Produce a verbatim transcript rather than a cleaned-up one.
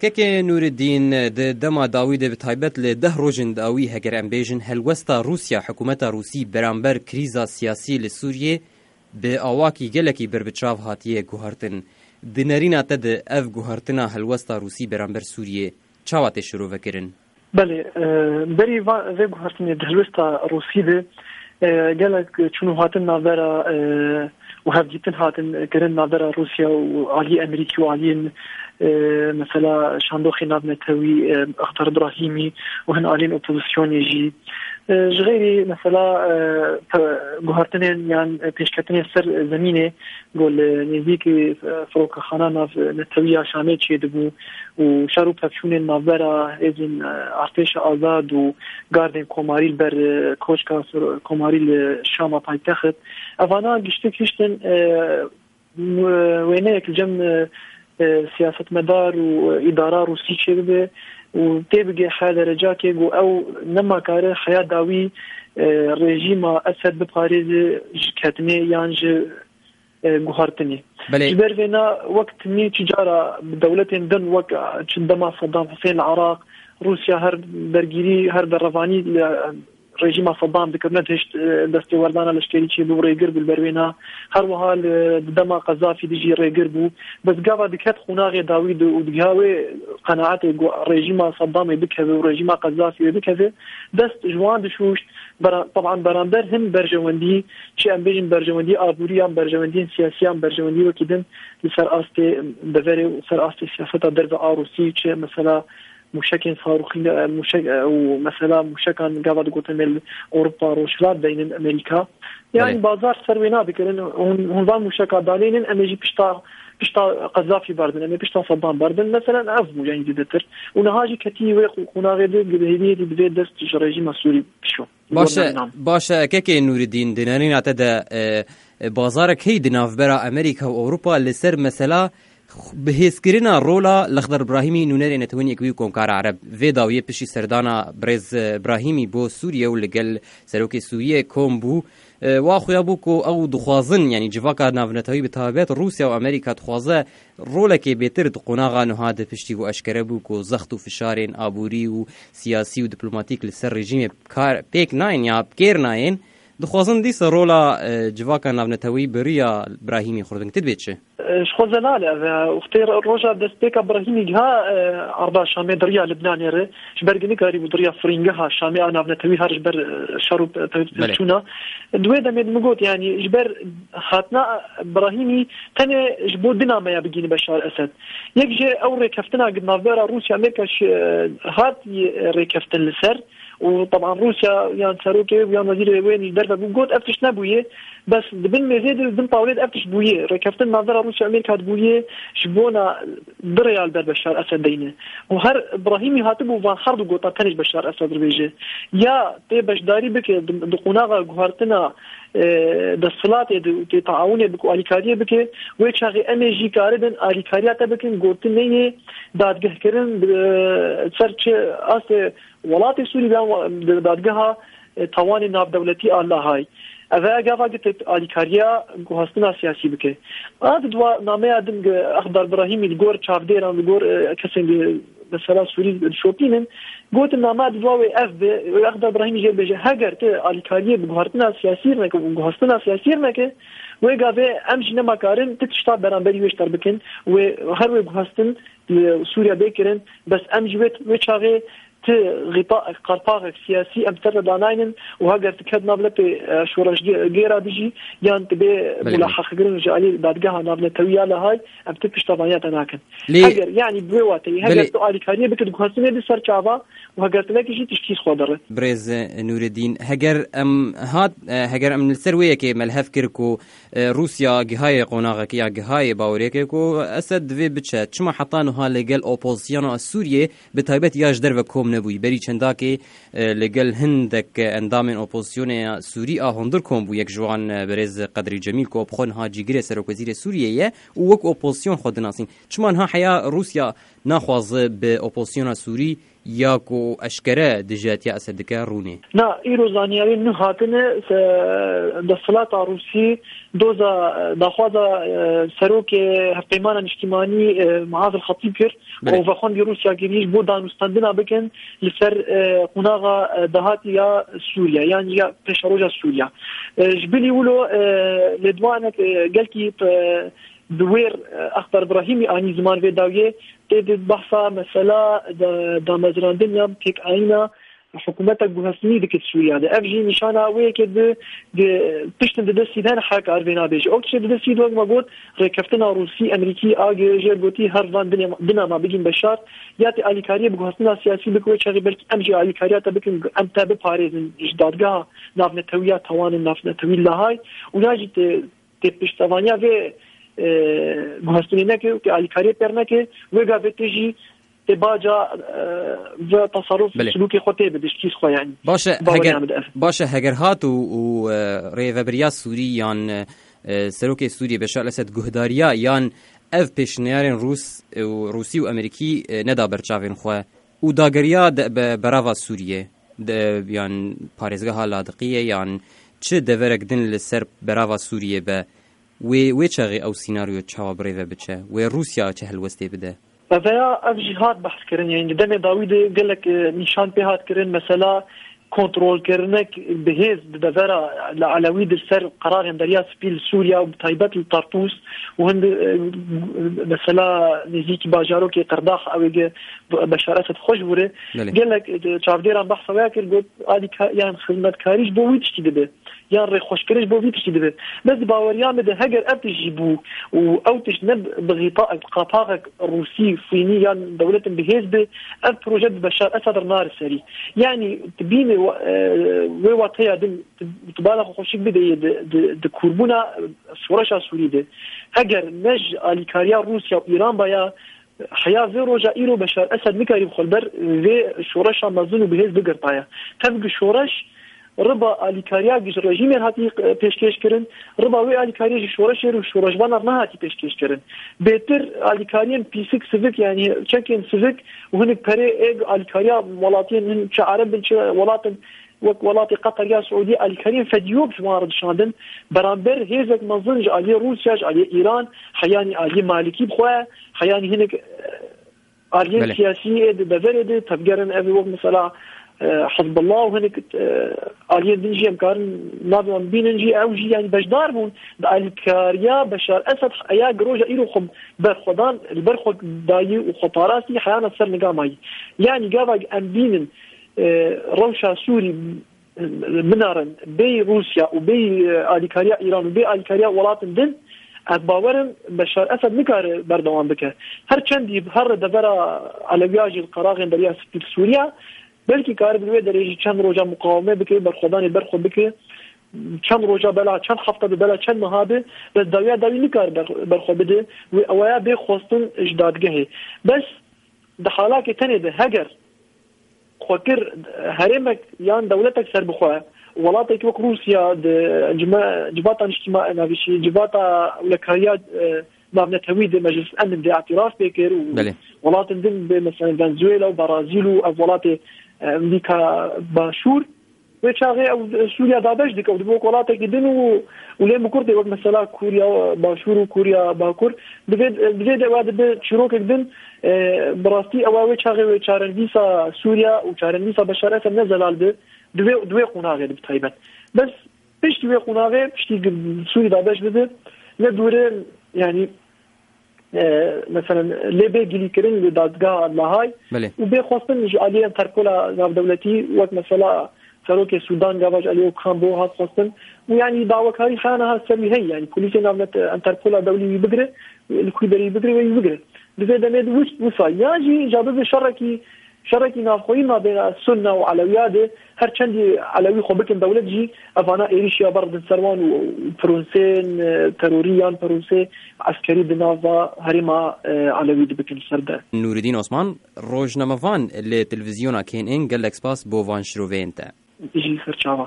Kekê Nûreddîn, di dema dawî de, bi taybet li deh rojên dawî, heger em bêjin, helwesta Rûsya, hikûmeta Rûsî beramber krîza siyasî li Sûriyê bi awakî gelekî berbiçav hatiye guhartin. Di nerîna te de ev guhartina helwesta Rûsî beramber Sûriyê çawa tê şirovekirin? Belê, e, berî va-, vê guhertinê di helwesta Rûsî de, e, gelek çûn û hatin navbera, e, û hevdîtin hatin kirin navbera Rûsya û aliyê Amerîkî û aliyên, e, mesela şandoxê navnetewî, e, Exdar Brahîmî û hin aliyên opozisyonê jî. E, ji xeyrî mesela, e, pe-, guhertinên yan pêşketinên ser zemînê ku li nêzîkî, e, firokekhana navnetewî ya Şamê çêdibû û şer û pevçûnên navbera hêzên, e, artêşa azad û gardên komarî li ber, e, koçka sor-, komarî li Şama paytext. Evana giştik hiştin, e, w-, wêneyek li cem, e, e, siyasetmedar û, e, îdara Rûsî çêbibe û tê bigê heya derecakê ku ew nema kare heya dawî, e, rejîma Esed biparêze ji ketinê yan ji e, guhartinê. Belê. Ji ber vêna wek timî çi cara bi dewletên din wek, e, çi dema Saddam Hussein li Iraq, Rûsya her bergîrî, her berevanî li, e, rejîma Saddam dikir, nedihişt, e, destêwerdana leşkerî çêbû, rêgir bû li ber wêna. Her wiha li, di dema Qezafî de jî rêgir bû. Bes gava diket qonaxê dawî de û digiha wê qenaetê ku rejîma Saddamê bikeve û rejîma Qezafî wê bikeve, dest ji wan dişûşt. Bera-, teban beramber hin berjewendî, çi em bêjin berjewendî aborî yan berjewendiyên siyasî yan berjewendî wekî din li ser astê deverê û ser astê siyaseta derve a Rûsî, çi mesela mûşekên sarûxî, e, mûşek, e, û mesela mûşekan gava digotin em li Ewropa Rojhilat deynin Amerîka. Yani Belê. Bazar ser wê nadikirin, hûn, hûn van mûşeka danênin, em ê jî pişta, pişta Qezafî berdin, em ê pişta Saddam berdin. Mesela ev bû yani zêdetir. Û niha jî ketî wê qû-, qûnaxê de, bi hêviyê de divê dest ji rejîma Sûrî bişo. Baş e, Gormê nan. Baş e, kekê Nûreddîn, di nerîna te de, e, e, bazarek heyî di navbera Amerîka û Ewropa li ser mesela x-, bihêzkirina rola Lexder Brahîmî, nûnerê Netewên Yekbûyî û Komkara Ereb. Vê dawiyê piştî serdana birêz, e, Brahîmî bo Sûriye û li gel serokê Sûriyê kom bû. E, wa xuya bû ku ew dixwazin, yanî civaka navnetewî bi taybet Rûsya û Amerîka dixwaze rolekê bêtir di qonaxa niha de piştî ku eşkere bû ku zext û fişarên aborî û siyasî û diplomatîk li ser rejîmê kar pêk nayên ya bi kêr nayên, dixwazin dîsa rola, e, civaka navnetewî bi riya Brahîmî xurtbin. Ti dibê çi? E, ji xwe zelal e ev e. Wextê roja destpêka Brahîmî giha, e, arda Şamê di riya Libnanê re, ji ber ku nikarîbû di riya firîngeha Şamê a navnetewî her ji ber, e, şer û pe-, pe-, Belê. Pevçûna. Di wê demê de min got, yanî ji ber hatina Brahîmî tenê ji bo du nameya bigihîne Beşar Esed. Yek jê ew rêkeftina ku navbera Rûsya Amerîka şi-, hat, e, rêkeftin li ser û teban Rûsya yan serokê û yan wezîrê wê li derve bû, got ev tişt nebûye. Bes di bin mêzê de, bin tawlê de ev tişt bûye. Rêkeftin navbera Rûsya Amerîka dibûye ji bona du rêya li ber Beşar Esed deyne. Û her Brahîmî hatibû van her du gota tenê ji Beşar Esed re bêje. Ya tê beşdarî bike di, di qonaxa guhartina, e, desthilatê de û tê taawunê bike û alîkariyê bike, wê çaxê em ê jî karibin alîkariya te bikin, gotinê yê dadgehkirin, e, ser çi astê welatê Sûrî yan wa-, di dadgeha, e, tawanê navdewletî a Lahayê. Ev e gava gitê alîkariya guhastina siyasî bike. A di dua nameya din gi Exdar Brahîmî li gor çavdêran, li gor, e, kesên li mesela Sûrî dişopînin, gotin nama di dua wê ev be, wê Exdar Brahîmî jê bêje, heger tu alîkariyê bi guhartina siyasî neke û guhastina siyasî neke, wê gavê em jî nema karin tu tişta beramberî wê ji te re bikin, wê her wê guhastin li Sûriya bê kirin, bes em jî wê, wê çaxê ti xîta-, qalpaxek siyasî em ser ve danaynin û heger ti ket nav lepê, e, şoreşgêra dijî yan ti bê Belê, belê. Mulaheqekirin ji alî dadgeha navnetewî ya Lahayê, em ti piştevaniya te nakin. Lê Heger, yanî bi wê wateyî, heger Belê. Tu alîkariyê bike di guhastinê di ser çava û heger tu nekî jî tiştî xwe dere. Birêz Nûreddîn, heger em hat, e, heger em li ser wê yekê melhev kir ku, e, Rûsya gihayê qonaxekê ya gihayê baweriyekê ku Esed divê biçe, çima heta niha li gel opozisyona Sûriyê bi taybet ya ji derve kom nebûyî. Berî çendakê, e, li gel hindek endamên opozisyonê ya Sûrî a hundir kom bû. Yek ji wan, e, birêz Qedrî Cemîl ku bi xwe niha cîgirê serokwezîrê Sûriyê ye û wek opozisyon xwe dinasîn. Çima niha heya Rûsya naxwaze bi opozisyona Sûrî ya ku eşkere dijatiya Esed dike rûnê? Na, îro zaniyariyên nû hatine, se-, desthilata Rûsî doza, daxwaza, e, serokê Hevpeymana Niştimanî, e, Muaz El Xetîb kir Belê. û vexwendî Rûsya kirî ji bo danûstendina bikin li ser, e, qonaxa, e, dahatî ya Sûriye, yan ya pêşeroja Sûriye. E, ji bilî wilo, e, lêdwanek, e, gelkî, e, bi wêr, e, Exber Brahîmî anî ziman vê dawiyê, tê di behsa mesela da-, damezrandin ya têkayîna hikûmetek guhestinî dike Sûriya de. Ev jî nîşana wê yekê di, di piştin di destî de hene her kar vê nabêje. Ew tiştê di destî de, wek me got, rêkeftina Rûsî, Emerîkî, a girêje gotî her van dinê, dina me bigîn Beşar, ya tê alîkariyê bi guhestina siyasî bike wê çaxê belkî em jî alîkariya te bikin, em te biparêzin ji dadgeha navnetewî ya Tewanên Navnetewî Lahayê û ya jî tê, tê piştevaniya vê, e, guhestinê neke û tê alîkariyê pêr neke, wê gavê tê jî tê baca, e, ve tasarruf Belê. silûkê xwe tê bide, ji kîs xwe yanî. Baş e, Baweriya heger, min de ev. baş e, heger hat û, û, e, rêvebiriya Sûrî yan, e, serokê Sûriyê Beşar Esed guhdariya yan ev pêşniyarên Rûs û Rûsî û Amerîkî, e, neda ber çavên xwe û dagiriya de be-, berava Sûriyê de, yan parêzgeha Ladiqiyê yan çi deverek din li ser berava Sûriyê be, wê, wê çaxê ew sînaryo çawa bi rê ve biçe? Wê Rûsya çi helwestê bide? Eveya ev jî hat behs kirin, yanî di demê dawî de gelek, e, nîşan pê hat kirin, mesela kontrolkirinek bi hêz di devera li Elewî di ser qerarên Derya Spî li Sûriya û bi taybet li Tartûs û hin, e, mesela nêzîkî bajarokê Qerdax ew ê ge Beşar Esed xwe ji wire. Belê. Gelek, e, çavdêran behsa wê kir, got alîka-, yan xizmetkarî ji bo wî tiştî dibe. Yan rêxweşkirin ji bo vî tiştî dibe. Bes di baweriya min de heger ev tişt jî bû û ew tişt ne bi xîta-, qapaxek Rûsî, Sûnî yan dewletin bi hêz be, ev proje bi Beşar Esad re nare serî. Yanî tu bîne wa-, e, wê wateya din tu, tu bala xwe xweşik bideyê di, di, di kûrbûna, e, şoreşa Sûrî de. Heger ne ji alîkariya Rûsya û Îran baya, heya vê roja îro Beşar Esed nikarî bi xwe li ber vê şoreşa mezin û bihêz bigirtaya. Tevgi şoreş riba alîkariya ji rejîmê hatî, e, pêşkêş kirin, riba wê alîkariyê ji şoreşê û şoreşvanan nehatî pêşkêş kirin. Bêtir alîkariyên pîsik sivik, yanî çekên sivik û hinek perê ê alîkariya welatiyên hin çi Ereb bin çi welatin wek welatê Qeter ya Siûdî alîkariyên fedî wek ji wan re dişandin, beramber hêzek mezin ji aliyê Rûsya, ji aliyê Îran, heyanî aliyê Malikî bi xwe, heyanî hinek, e, aliyên Belê. siyasî ê di deverê de tevgerin ev ê wek mesela, e, Hizbullah û hinek, e, aliyên din jî em karin navê wan bînin jî ew jî yanî beşdar bûn di alîkariya Beşar Esed heya giroja îro xwe berxwedan, li ber xwe dayî û xwe parastî heyana ser niga mayî. Yanî gava em bînin, e, rewşa Sûrî, e, binarin bêyî Rûsya û bêyî, e, alîkariya Îran û bêyî alîkariya welatin din, ez bawer im Beşar Esed nikare berdewam bike. Her çendî her devera Elewiya jî li qeraxên Derya Spî li Sûriya, belkî kare bi wê derê jî çend roja muqaweme bike, berxwedanê berxwe bike, çend roja bela, çend hefta bi bela, çend meha bi, bes dawiya dawî nikare ber-, berxwe bide, wê ewaya bê xwestin ji dadgehê. Bes di halakê tenê de heger xwe kir herêmek yan dewletek serbixwe, welatek wek Rûsya di cima-, civata niştîma-, navîşî, civata ewlekariya, e, navnetewî de Meclis Emn de îtiraf pê kir û Belê. welatin din bi mesela Venezuela û Brazîl û ev welatê, e, Amerîka Başûr, wê çaxê ew Sûriya dabeş dike û dibe wek welatekî din û, û lê mikur tê wek mesela Kûriya Başûr û Kûriya Bakur. Divê, divê de ewa dibe çîrokek din, e, bi rastî ewa wê çaxê wê çarenivîsa Sûriya û çarenivîsa Beşar Esed ne zelal bi, divê, divê qonaxê de bi taybet. Bes piştî wê qonaxê, piştî Sûrî dabeş bibe, ne dûre, yanî, e, mesela lê bê gilîkirin li dadgeha Lahay Belê. û bê xwestin ji aliyê Enterpola navdewletî wek mesela serokê Sûdan gava ji aliyê Okan Bo hat xwestin û yanî dawekarî xeyana ha ser wî heye, yanî polîsê navnet Enterpola dewlî wî bigire, li ku derê wî bigire wê wî bigire. Di vê demê de wis-, wisa ya jî ca bibe şerekî, şerekî navxweyî mabêna Sunna û Elewiya de, her çendî Elewî xwe bikin dewlet jî, evana êrîşiya berdin ser wan û, û pirûnsên, e, terorî yan pirûnsê eskerî di nava herêma, e, Elewî de bikin ser de. Nûridîn Osman, rojnamevan li televîzyona K N N, gelek spas bo van şiroveyên te. Jî ser çava.